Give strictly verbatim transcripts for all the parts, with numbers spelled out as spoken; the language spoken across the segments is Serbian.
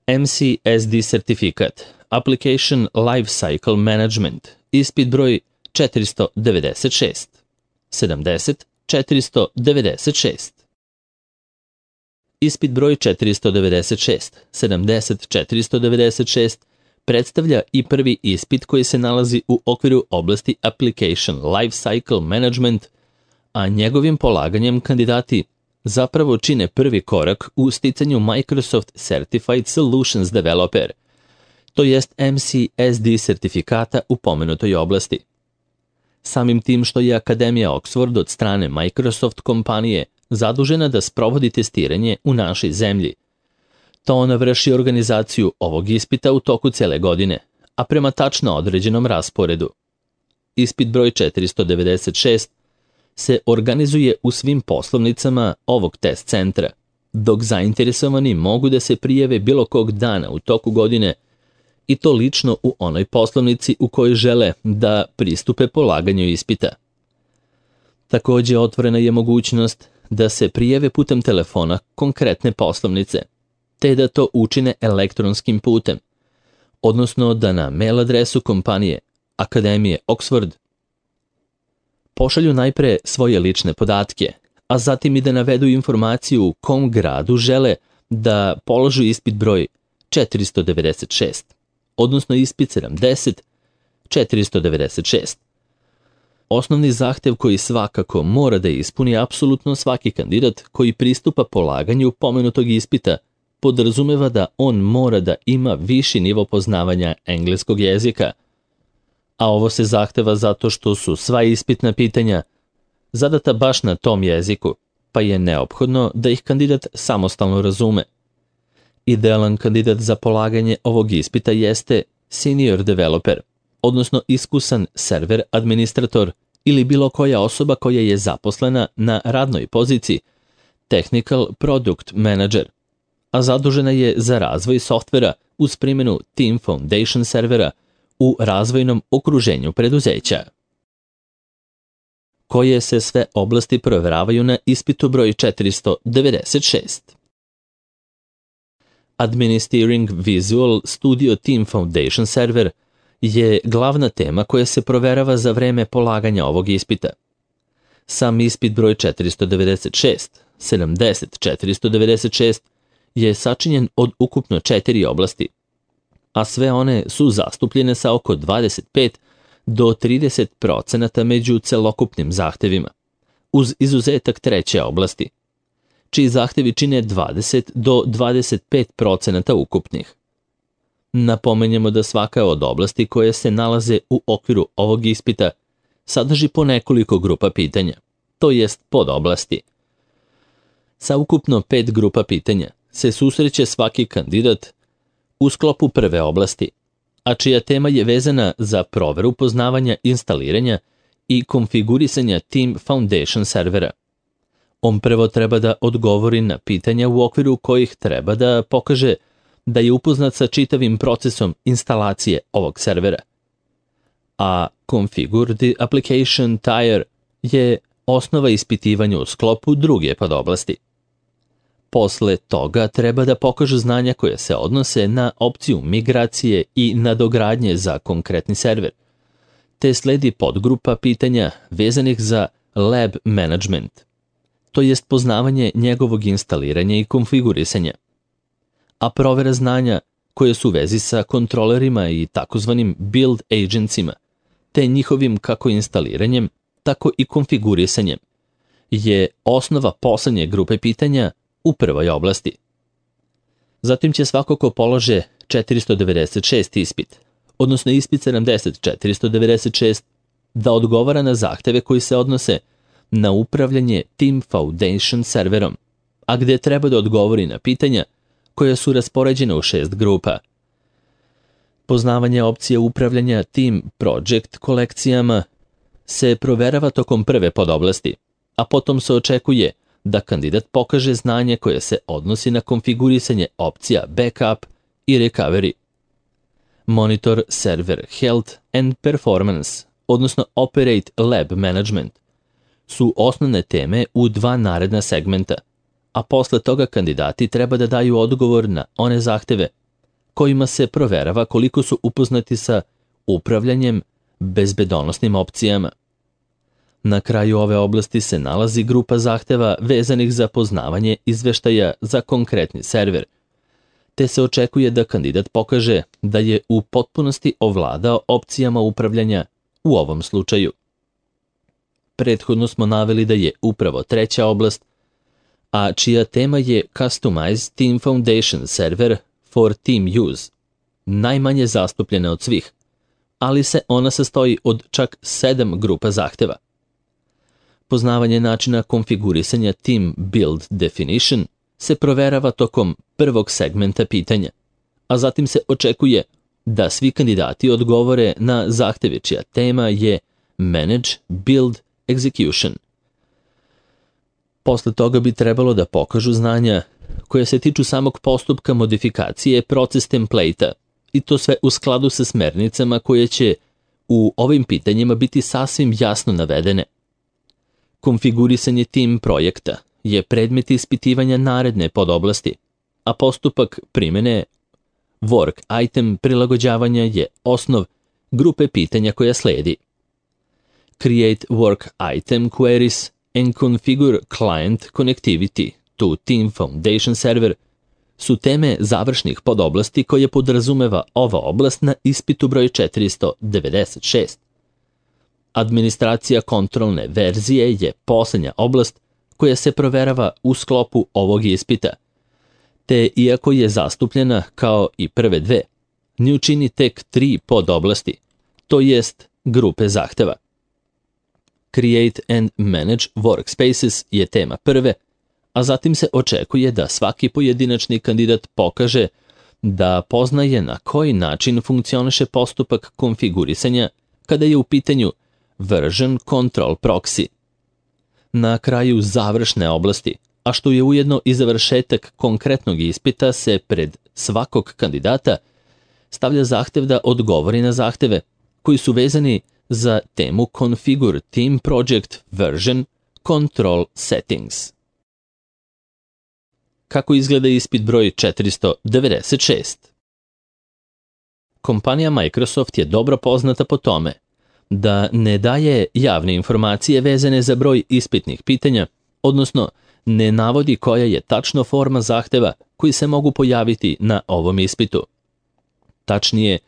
M C S D sertifikat, Application Lifecycle Management, ispit broj četiristo devedeset šest. sedamdeset četiristo devedeset šest. Ispit broj četiristo devedeset šest, sedamdeset četiristo devedeset šest predstavlja i prvi ispit koji se nalazi u okviru oblasti Application Lifecycle Management, a njegovim polaganjem kandidati zapravo čine prvi korak u sticanju Microsoft Certified Solutions Developer, to jest M C S D sertifikata u pomenutoj oblasti. Samim tim što je Akademija Oxford od strane Microsoft kompanije zadužena da sprovodi testiranje u našoj zemlji, to ona vrši organizaciju ovog ispita u toku cele godine, a prema tačno određenom rasporedu. Ispit broj četiristo devedeset šest se organizuje u svim poslovnicama ovog test centra, dok zainteresovani mogu da se prijave bilo kog dana u toku godine i to lično u onoj poslovnici u kojoj žele da pristupe polaganju ispita. Takođe, otvorena je mogućnost da se prijave putem telefona konkretne poslovnice, te da to učine elektronskim putem, odnosno da na mail adresu kompanije Akademije Oxford pošalju najpre svoje lične podatke, a zatim i da navedu informaciju u kom gradu žele da položu ispit broj četiristo devedeset šest, odnosno ispit sedamdeset četiristo devedeset šest. Osnovni zahtev koji svakako mora da ispuni apsolutno svaki kandidat koji pristupa polaganju pomenutog ispita podrazumeva da on mora da ima viši nivo poznavanja engleskog jezika, a ovo se zahteva zato što su sva ispitna pitanja zadata baš na tom jeziku, pa je neophodno da ih kandidat samostalno razume. Idealan kandidat za polaganje ovog ispita jeste senior developer, odnosno iskusan server administrator ili bilo koja osoba koja je zaposlena na radnoj poziciji Technical Product Manager, a zadužena je za razvoj softvera uz primjenu Team Foundation servera u razvojnom okruženju preduzeća. Koje se sve oblasti provjeravaju na ispitu broj četiristo devedeset šest? Administering Visual Studio Team Foundation server je glavna tema koja se proverava za vreme polaganja ovog ispita. Sam ispit broj četiristo devedeset šest, sedamdeset četiristo devedeset šest je sačinjen od ukupno četiri oblasti, a sve one su zastupljene sa oko dvadeset pet do trideset procenata među celokupnim zahtevima, uz izuzetak treće oblasti, čiji zahtevi čine dvadeset do dvadeset pet procenata ukupnih. Napomenjemo da svaka od oblasti koje se nalaze u okviru ovog ispita sadrži po nekoliko grupa pitanja, to jest podoblasti. Sa ukupno pet grupa pitanja se susreće svaki kandidat u sklopu prve oblasti, a čija tema je vezana za proveru poznavanja instaliranja i konfigurisanja Team Foundation servera. On prvo treba da odgovori na pitanja u okviru kojih treba da pokaže da je upoznat sa čitavim procesom instalacije ovog servera. A Configure the Application Tier je osnova ispitivanja u sklopu druge podoblasti. Posle toga treba da pokažu znanja koje se odnose na opciju migracije i nadogradnje za konkretni server, te sledi podgrupa pitanja vezanih za Lab Management, to jest poznavanje njegovog instaliranja i konfigurisanja, a provera znanja koje su u vezi sa kontrolerima i takozvanim build agentsima, te njihovim kako instaliranjem, tako i konfigurisanjem, je osnova poslednje grupe pitanja u prvoj oblasti. Zatim će svako ko polože četiristo devedeset šest ispit, odnosno ispit sedamdeset četiristo devedeset šest, da odgovara na zahteve koji se odnose na upravljanje Team Foundation serverom, a gde treba da odgovori na pitanja koja su raspoređena u šest grupa. Poznavanje opcije upravljanja Team Project kolekcijama se proverava tokom prve podoblasti, a potom se očekuje da kandidat pokaže znanje koje se odnosi na konfigurisanje opcija Backup i Recovery. Monitor Server Health and Performance, odnosno Operate Lab Management, su osnovne teme u dva naredna segmenta, a posle toga kandidati treba da daju odgovor na one zahteve kojima se proverava koliko su upoznati sa upravljanjem bezbedonosnim opcijama. Na kraju ove oblasti se nalazi grupa zahteva vezanih za poznavanje izveštaja za konkretni server, te se očekuje da kandidat pokaže da je u potpunosti ovladao opcijama upravljanja u ovom slučaju. Prethodno smo naveli da je upravo treća oblast, a čija tema je Customized Team Foundation Server for Team Use, najmanje zastupljena od svih, ali se ona sastoji od čak sedam grupa zahteva. Poznavanje načina konfigurisanja Team Build Definition se proverava tokom prvog segmenta pitanja, a zatim se očekuje da svi kandidati odgovore na zahteve čija tema je Manage Build Execution. Posle toga bi trebalo da pokažu znanja koje se tiču samog postupka modifikacije proces template-a, i to sve u skladu sa smernicama koje će u ovim pitanjima biti sasvim jasno navedene. Konfigurisanje tim projekta je predmet ispitivanja naredne podoblasti, a postupak primene work item prilagođavanja je osnov grupe pitanja koja sledi. Create work item queries and configure client connectivity to Team Foundation Server su teme završnih podoblasti koje podrazumeva ova oblast na ispitu broj četiristo devedeset šest. Administracija kontrolne verzije je posljednja oblast koja se proverava u sklopu ovog ispita, te iako je zastupljena kao i prve dve, nju čini tek tri podoblasti, to jest grupe zahteva. Create and Manage Workspaces je tema prve, a zatim se očekuje da svaki pojedinačni kandidat pokaže da poznaje na koji način funkcioniše postupak konfigurisanja kada je u pitanju Version Control Proxy. Na kraju završne oblasti, a što je ujedno i završetak konkretnog ispita, se pred svakog kandidata stavlja zahtev da odgovori na zahteve koji su vezani za temu Configure Team Project Version Control Settings. Kako izgleda ispit broj četiristo devedeset šest? Kompanija Microsoft je dobro poznata po tome da ne daje javne informacije vezane za broj ispitnih pitanja, odnosno ne navodi koja je tačno forma zahteva koji se mogu pojaviti na ovom ispitu. Tačnije,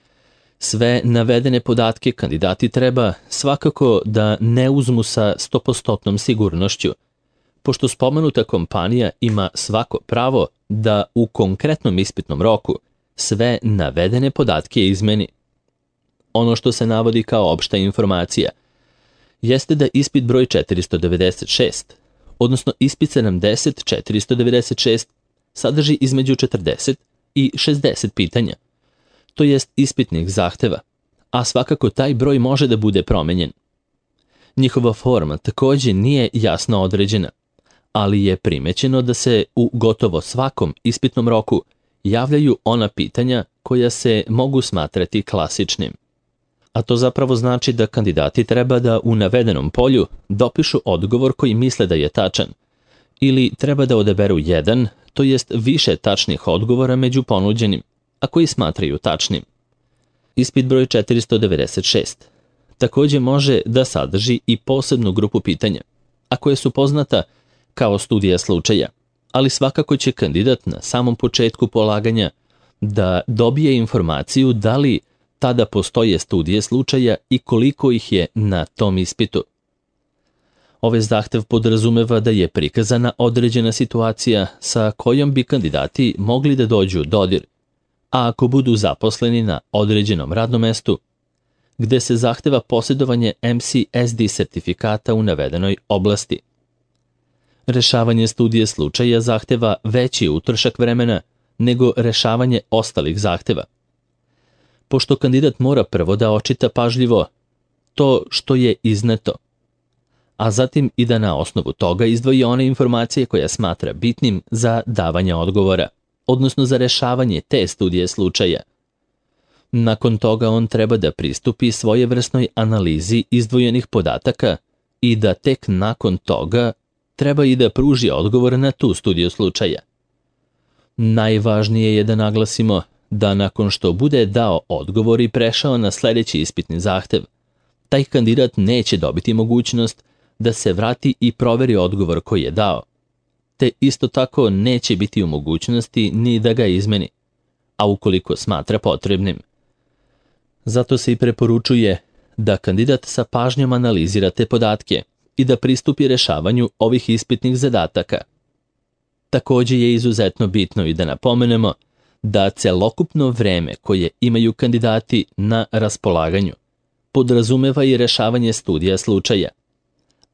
sve navedene podatke kandidati treba svakako da ne uzmu sa sto posto sigurnošću, pošto spomenuta kompanija ima svako pravo da u konkretnom ispitnom roku sve navedene podatke izmeni. Ono što se navodi kao opšta informacija jeste da ispit broj četiristo devedeset šest, odnosno ispit sedamdeset četiristo devedeset šest, sadrži između četrdeset i šezdeset pitanja, to jest ispitnih zahteva, a svakako taj broj može da bude promenjen. Njihova forma takođe nije jasno određena, ali je primećeno da se u gotovo svakom ispitnom roku javljaju ona pitanja koja se mogu smatrati klasičnim. A to zapravo znači da kandidati treba da u navedenom polju dopišu odgovor koji misle da je tačan, ili treba da odaberu jedan, to jest više tačnih odgovora među ponuđenim, a koji smatraju tačnim. Ispit broj četiristo devedeset šest takođe može da sadrži i posebnu grupu pitanja, a koje su poznata kao studija slučaja, ali svakako će kandidat na samom početku polaganja da dobije informaciju da li tada postoje studije slučaja i koliko ih je na tom ispitu. Ovaj zahtev podrazumeva da je prikazana određena situacija sa kojom bi kandidati mogli da dođu u dodir, a ako budu zaposleni na određenom radnom mestu, gde se zahteva posjedovanje M C S D sertifikata u navedenoj oblasti. Rešavanje studije slučaja zahteva veći utrošak vremena nego rešavanje ostalih zahteva. Pošto kandidat mora prvo da očita pažljivo to što je izneto, a zatim i da na osnovu toga izdvoji one informacije koje smatra bitnim za davanje odgovora, odnosno za rešavanje te studije slučaja. Nakon toga on treba da pristupi svojevrsnoj analizi izdvojenih podataka i da tek nakon toga treba i da pruži odgovor na tu studiju slučaja. Najvažnije je da naglasimo da nakon što bude dao odgovor i prešao na sljedeći ispitni zahtev, taj kandidat neće dobiti mogućnost da se vrati i proveri odgovor koji je dao, te isto tako neće biti u mogućnosti ni da ga izmeni, a ukoliko smatra potrebnim. Zato se i preporučuje da kandidat sa pažnjom analizira te podatke i da pristupi rešavanju ovih ispitnih zadataka. Također je izuzetno bitno i da napomenemo da celokupno vreme koje imaju kandidati na raspolaganju podrazumeva i rešavanje studija slučaja,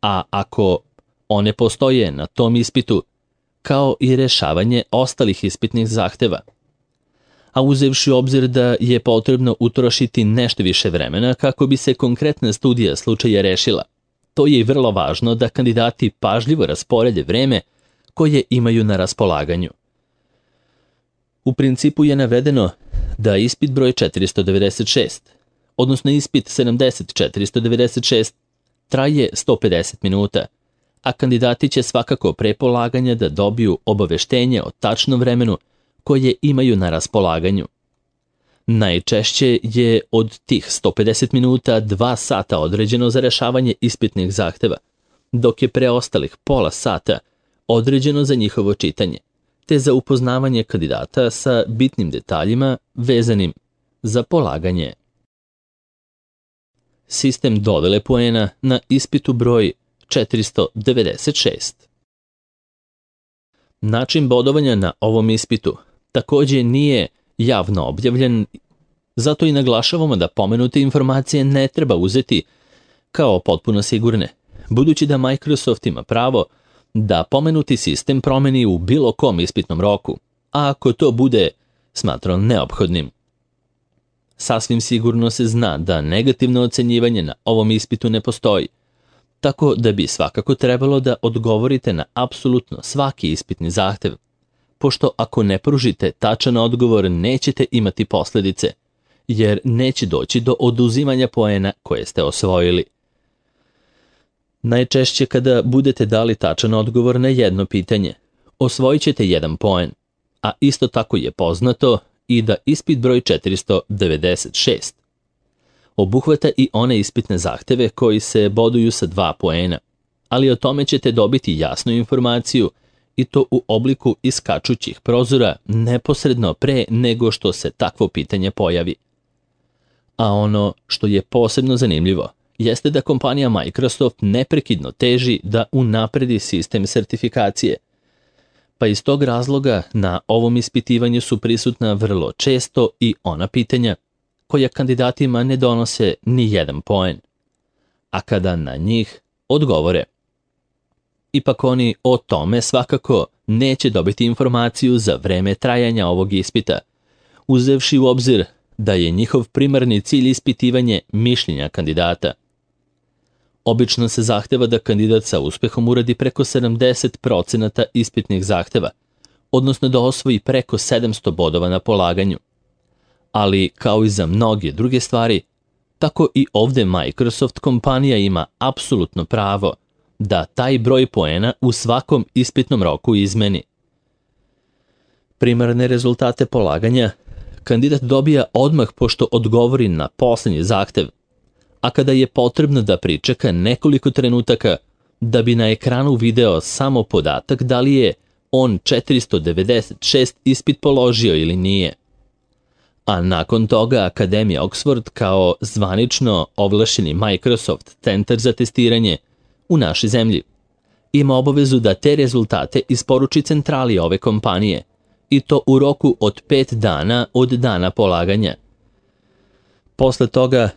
a ako one postoje na tom ispitu, kao i rešavanje ostalih ispitnih zahteva. A uzevši u obzir da je potrebno utrošiti nešto više vremena kako bi se konkretna studija slučaja rešila, to je i vrlo važno da kandidati pažljivo rasporede vreme koje imaju na raspolaganju. U principu je navedeno da ispit broj četiristo devedeset šest, odnosno ispit sedamdeset četiristo devedeset šest, traje sto pedeset minuta, a kandidati će svakako pre polaganja da dobiju obaveštenje o tačnom vremenu koje imaju na raspolaganju. Najčešće je od tih sto pedeset minuta dva sata određeno za rešavanje ispitnih zahteva, dok je preostalih pola sata određeno za njihovo čitanje, te za upoznavanje kandidata sa bitnim detaljima vezanim za polaganje. Sistem dodele poena na ispitu broj četiristo devedeset šest. Način bodovanja na ovom ispitu također nije javno objavljen, zato i naglašavamo da pomenute informacije ne treba uzeti kao potpuno sigurne, budući da Microsoft ima pravo da pomenuti sistem promeni u bilo kom ispitnom roku, a ako to bude smatrao neophodnim. Sasvim sigurno se zna da negativno ocenjivanje na ovom ispitu ne postoji, tako da bi svakako trebalo da odgovorite na apsolutno svaki ispitni zahtev, pošto ako ne pružite tačan odgovor nećete imati posljedice, jer neće doći do oduzimanja poena koje ste osvojili. Najčešće kada budete dali tačan odgovor na jedno pitanje, osvojit ćete jedan poen, a isto tako je poznato i da ispit broj četiristo devedeset šest obuhvata i one ispitne zahteve koji se boduju sa dva poena, ali o tome ćete dobiti jasnu informaciju i to u obliku iskačućih prozora neposredno pre nego što se takvo pitanje pojavi. A ono što je posebno zanimljivo jeste da kompanija Microsoft neprekidno teži da unapredi sistem sertifikacije, pa iz tog razloga na ovom ispitivanju su prisutna vrlo često i ona pitanja koja kandidatima ne donose ni jedan poen, a kada na njih odgovore. Ipak oni o tome svakako neće dobiti informaciju za vreme trajanja ovog ispita, uzevši u obzir da je njihov primarni cilj ispitivanje mišljenja kandidata. Obično se zahteva da kandidat sa uspehom uradi preko sedamdeset procenata ispitnih zahteva, odnosno da osvoji preko sedamsto bodova na polaganju. Ali, kao i za mnoge druge stvari, tako i ovdje Microsoft kompanija ima apsolutno pravo da taj broj poena u svakom ispitnom roku izmeni. Primarne rezultate polaganja kandidat dobija odmah pošto odgovori na posljednji zahtev, a kada je potrebno da pričeka nekoliko trenutaka da bi na ekranu video samo podatak da li je on četiristo devedeset šest ispit položio ili nije. A nakon toga Akademija Oxford kao zvanično ovlašćeni Microsoft centar za testiranje u našoj zemlji ima obavezu da te rezultate isporuči centrali ove kompanije i to u roku od pet dana od dana polaganja. Posle toga,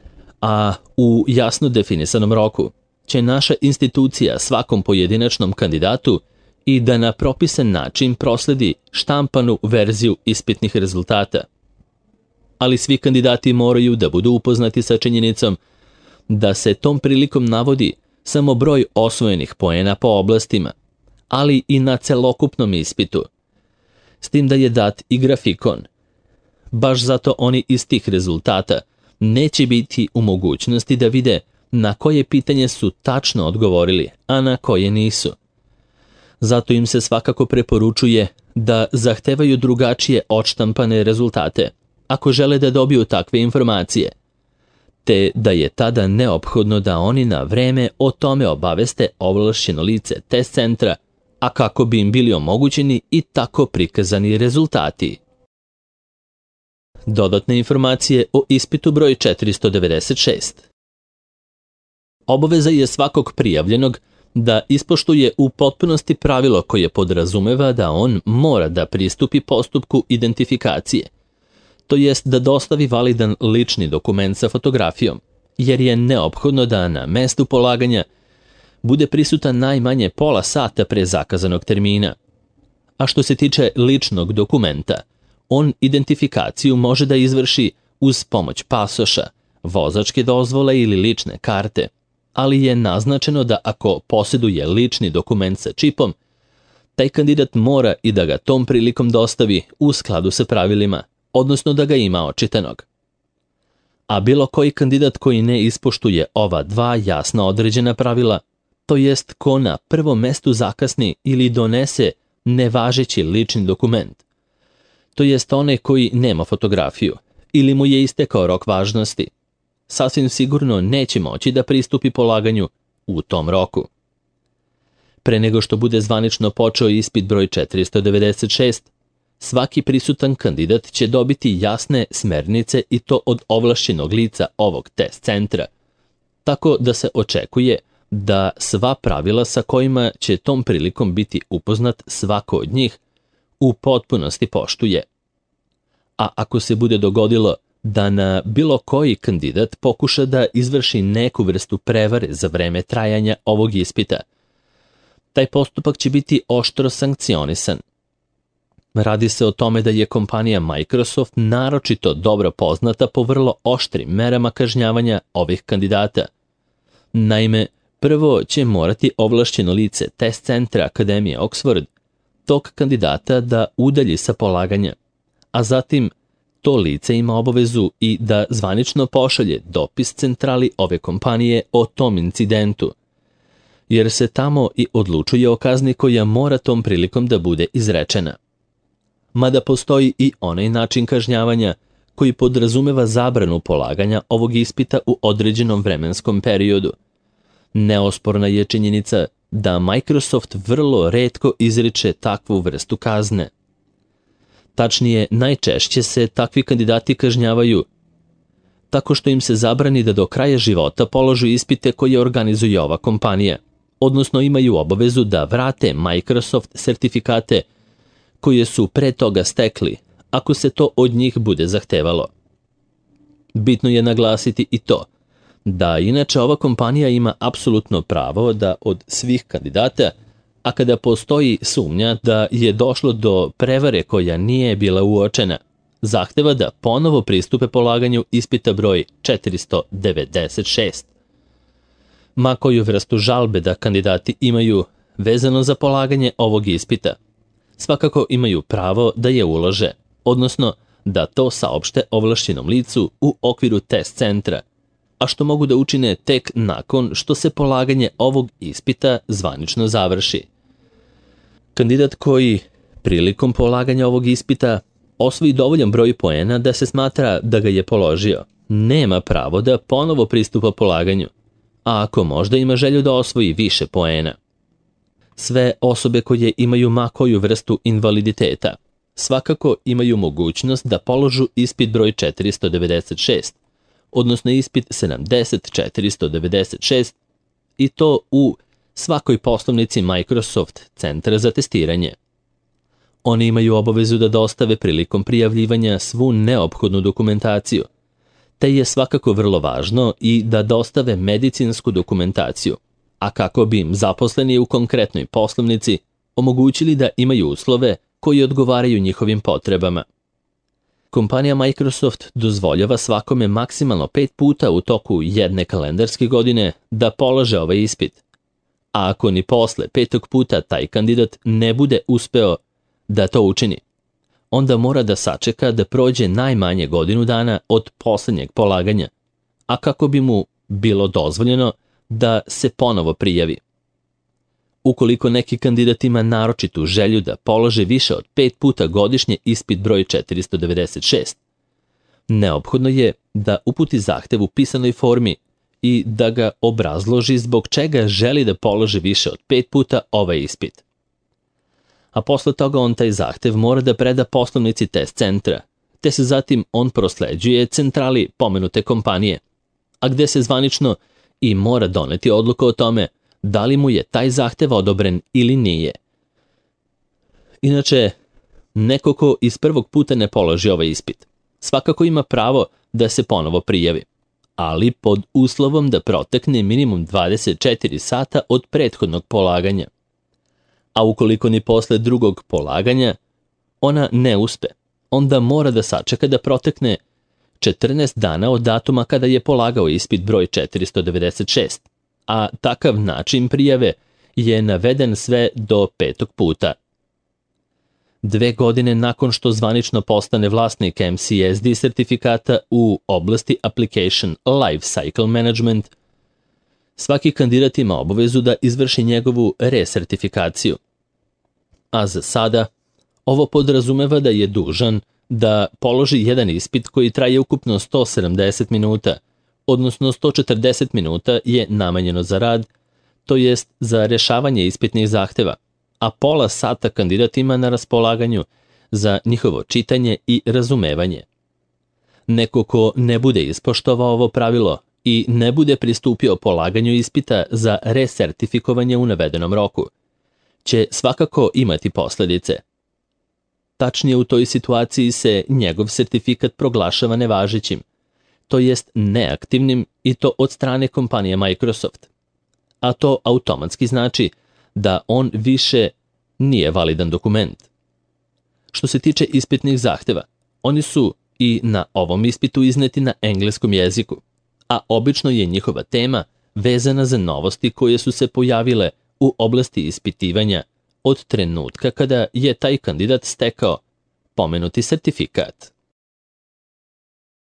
a u jasno definisanom roku, će naša institucija svakom pojedinačnom kandidatu i da na propisan način prosledi štampanu verziju ispitnih rezultata. Ali svi kandidati moraju da budu upoznati sa činjenicom da se tom prilikom navodi samo broj osvojenih poena po oblastima, ali i na celokupnom ispitu, s tim da je dat i grafikon. Baš zato oni iz tih rezultata neće biti u mogućnosti da vide na koje pitanje su tačno odgovorili, a na koje nisu. Zato im se svakako preporučuje da zahtevaju drugačije odštampane rezultate ako žele da dobiju takve informacije, te da je tada neophodno da oni na vreme o tome obaveste ovlašćeno lice test centra, a kako bi im bili omogućeni i tako prikazani rezultati. Dodatne informacije o ispitu broj četiristo devedeset šest. Obaveza je svakog prijavljenog da ispoštuje u potpunosti pravilo koje podrazumeva da on mora da pristupi postupku identifikacije, to jest da dostavi validan lični dokument sa fotografijom, jer je neophodno da na mestu polaganja bude prisutan najmanje pola sata pre zakazanog termina. A što se tiče ličnog dokumenta, on identifikaciju može da izvrši uz pomoć pasoša, vozačke dozvole ili lične karte, ali je naznačeno da ako posjeduje lični dokument sa čipom, taj kandidat mora i da ga tom prilikom dostavi u skladu sa pravilima, odnosno da ga ima očitanog. A bilo koji kandidat koji ne ispoštuje ova dva jasno određena pravila, to jest ko na prvom mestu zakasni ili donese nevažeći lični dokument, to jest onaj koji nema fotografiju ili mu je istekao rok važnosti, sasvim sigurno neće moći da pristupi polaganju u tom roku. Pre nego što bude zvanično počeo ispit broj četiristo devedeset šest, svaki prisutan kandidat će dobiti jasne smernice i to od ovlašćenog lica ovog test centra, tako da se očekuje da sva pravila sa kojima će tom prilikom biti upoznat svako od njih u potpunosti poštuje. A ako se bude dogodilo da na bilo koji kandidat pokuša da izvrši neku vrstu prevare za vreme trajanja ovog ispita, taj postupak će biti oštro sankcionisan. Radi se o tome da je kompanija Microsoft naročito dobro poznata po vrlo oštrim merama kažnjavanja ovih kandidata. Naime, prvo će morati ovlašćeno lice test centra Akademije Oxford tog kandidata da udalji sa polaganja, a zatim to lice ima obavezu i da zvanično pošalje dopis centrali ove kompanije o tom incidentu, jer se tamo i odlučuje o kazni koja mora tom prilikom da bude izrečena. Mada postoji i onaj način kažnjavanja koji podrazumeva zabranu polaganja ovog ispita u određenom vremenskom periodu. Neosporna je činjenica da Microsoft vrlo retko izriče takvu vrstu kazne. Tačnije, najčešće se takvi kandidati kažnjavaju tako što im se zabrani da do kraja života položu ispite koje organizuje ova kompanija, odnosno imaju obavezu da vrate Microsoft sertifikate koje su pre toga stekli, ako se to od njih bude zahtevalo. Bitno je naglasiti i to da inače ova kompanija ima apsolutno pravo da od svih kandidata, a kada postoji sumnja da je došlo do prevare koja nije bila uočena, zahteva da ponovo pristupe polaganju ispita broj četiristo devedeset šest. Ma koju vrstu žalbe da kandidati imaju vezano za polaganje ovog ispita, svakako imaju pravo da je ulože, odnosno da to saopšte ovlašćenom licu u okviru test centra, a što mogu da učine tek nakon što se polaganje ovog ispita zvanično završi. Kandidat koji prilikom polaganja ovog ispita osvoji dovoljan broj poena da se smatra da ga je položio, nema pravo da ponovo pristupa polaganju, a ako možda ima želju da osvoji više poena. Sve osobe koje imaju ma koju vrstu invaliditeta svakako imaju mogućnost da položu ispit broj četiristo devedeset šest, odnosno ispit sedamdeset četiristo devedeset šest, i to u svakoj poslovnici Microsoft centra za testiranje. Oni imaju obavezu da dostave prilikom prijavljivanja svu neophodnu dokumentaciju, te je svakako vrlo važno i da dostave medicinsku dokumentaciju, a kako bi im zaposleni u konkretnoj poslovnici omogućili da imaju uslove koji odgovaraju njihovim potrebama. Kompanija Microsoft dozvoljava svakome maksimalno pet puta u toku jedne kalendarske godine da polaže ovaj ispit, a ako ni posle petog puta taj kandidat ne bude uspeo da to učini, onda mora da sačeka da prođe najmanje godinu dana od poslednjeg polaganja, a kako bi mu bilo dozvoljeno da se ponovo prijavi. Ukoliko neki kandidat ima naročitu želju da polože više od pet puta godišnje ispit broj četiristo devedeset šest, Neophodno je da uputi zahtev u pisanoj formi i da ga obrazloži zbog čega želi da položi više od pet puta ovaj ispit. A posle toga on taj zahtev mora da preda poslovnici test centra, te se zatim on prosleđuje centrali pomenute kompanije, a gde se zvanično i mora doneti odluka o tome da li mu je taj zahtev odobren ili nije. Inače, neko ko iz prvog puta ne položi ovaj ispit, svakako ima pravo da se ponovo prijavi, ali pod uslovom da protekne minimum dvadeset četiri sata od prethodnog polaganja. A ukoliko ni posle drugog polaganja ona ne uspe, onda mora da sačeka da protekne četrnaest dana od datuma kada je polagao ispit broj četiristo devedeset šest, a takav način prijave je naveden sve do petog puta. Dve godine nakon što zvanično postane vlasnik M C S D sertifikata u oblasti Application Life Cycle Management, svaki kandidat ima obavezu da izvrši njegovu resertifikaciju. A za sada, ovo podrazumeva da je dužan da položi jedan ispit koji traje ukupno sto sedamdeset minuta, odnosno sto četrdeset minuta je namenjeno za rad, to jest za rešavanje ispitnih zahteva, a pola sata kandidat ima na raspolaganju za njihovo čitanje i razumevanje. Neko ko ne bude ispoštovao ovo pravilo i ne bude pristupio polaganju ispita za resertifikovanje u navedenom roku, će svakako imati posledice. Tačnije, u toj situaciji se njegov sertifikat proglašava nevažećim, to jest neaktivnim, i to od strane kompanije Microsoft. A to automatski znači da on više nije validan dokument. Što se tiče ispitnih zahteva, oni su i na ovom ispitu izneti na engleskom jeziku, a obično je njihova tema vezana za novosti koje su se pojavile u oblasti ispitivanja od trenutka kada je taj kandidat stekao pomenuti sertifikat.